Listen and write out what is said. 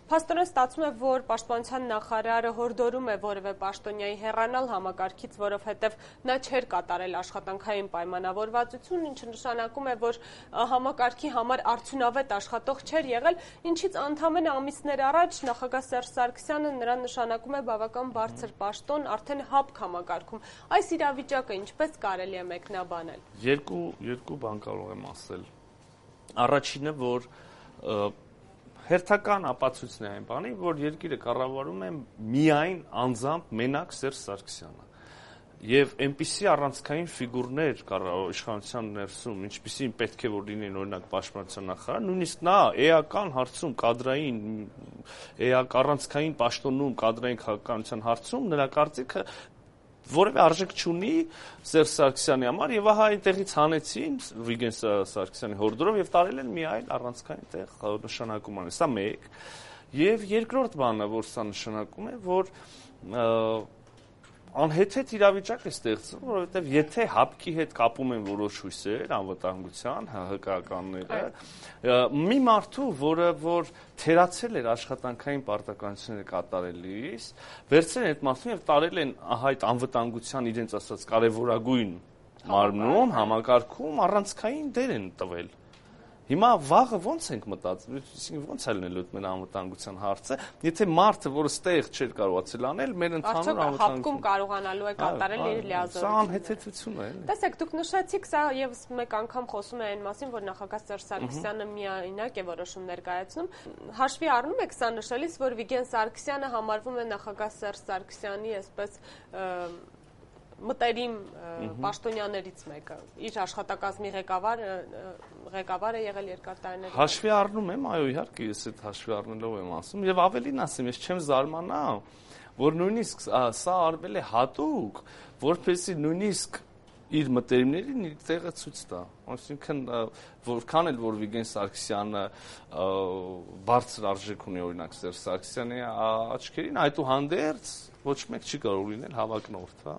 Փաստորեն ստացվում է, որ պաշտպանության նախարարը հորդորում է որևէ պաշտոնյայի հեռանալ համակարգից, որովհետև նա չէր կատարել աշխատանքային պայմանավորվածություն, ինչը նշանակում է, որ համակարգի համար արդյունավետ աշխատող չէր եղել, ինչից ընդամենը ամիսներ առաջ նախագահ Սերժ Սարգսյանը նրան նշանակում է բավական բարձր պաշտոն, արդեն ՀԱՊԿ համակարգում։ Այս իրավիճակը ինչպես կարելի է մեկնաբանել։ Երկու բան կարող եմ ասել։ Առաջինը, որ հերթական ապացույցն է այն բանի, որ երկիրը կառավարում է միայն անձամբ մենակ Սերժ Սարգսյանը։ Եվ այնպիսի առանցքային ֆիգուրներ իշխանության ներսում, ինչպիսին պետք է որ լինեն օրինակ պաշտպանության նախարար, նույնիսկ նա էական հարցում կադրային առանցքային պաշտոնում կադրային քաղաքականության հարցում նրա կարծիքը որևէ արժեք չունի Սերժ Սարգսյանի համար եւ ահա այնտեղից հանեցին Վիգեն Սարգսյանի հորդորով եւ տարել են մի այլ առանցքային տեղ նշանակում անեն։ Սա մեկ։ Եվ երկրորդ բանը, որ սա նշանակում է, որ անհեթեթ իրավիճակ է ստեղծվում, որովհետև եթե ՀԱՊԿ-ի հետ կապում են որոշ հույսեր, անվտանգության, ՀՀԿ-ականները, մի մարդու, որ թերացել էր աշխատանքային պարտականությունները կատարելիս, վերցրել են այդ մարդուն եւ տարել են այդ անվտանգության իրենց ասած կարևորագույն մարմնում, համակարգում առանցքային դեր են տվել։ Հիմա վաղը ոնց ենք մտածում, ոնց է լինելու այդ մեր անվտանգության հարցը, եթե մարդը, որը ստեղ չէր կարողացել անել, մեր ընդհանուր անվտանգություն կարողանալու է կատարել իր լիազորությունը։ Սա անհեթեթություն է, էլի։ Տեսեք, դուք նշեցիք, սա եւս մեկ անգամ խոսում է այն մասին, որ նախագահ Սերժ Սարգսյանը միայնակ է որոշում ներկայացնում։ Հաշվի առնում եք սա նշելիս, որ Վիգեն Սարգսյանը համարվում է նախագահ Սերժ Սարգսյանի այսպես մտերիմ պաշտոնյաներից մեկը, իր աշխատակազմի ղեկավար է եղել երկար տարիներ։ Հաշվի առնում եմ, այո, իհարկե, ես այդ հաշվի առնելով եմ ասում, եւ ավելին ասեմ, ես չեմ զարմանա, որ նույնիսկ սա արվել է հատուկ, որպեսզի նույնիսկ իր մտերիմներին իր տեղը ցույց տա։ Այսինքն, որքան էլ որ Վիգեն Սարգսյանը բարձր արժեք ունի օրինակ Սերժ Սարգսյանի աչքերին, այդուհանդերձ ոչ մեկ չի կարող լինել հավակնորդ, հա։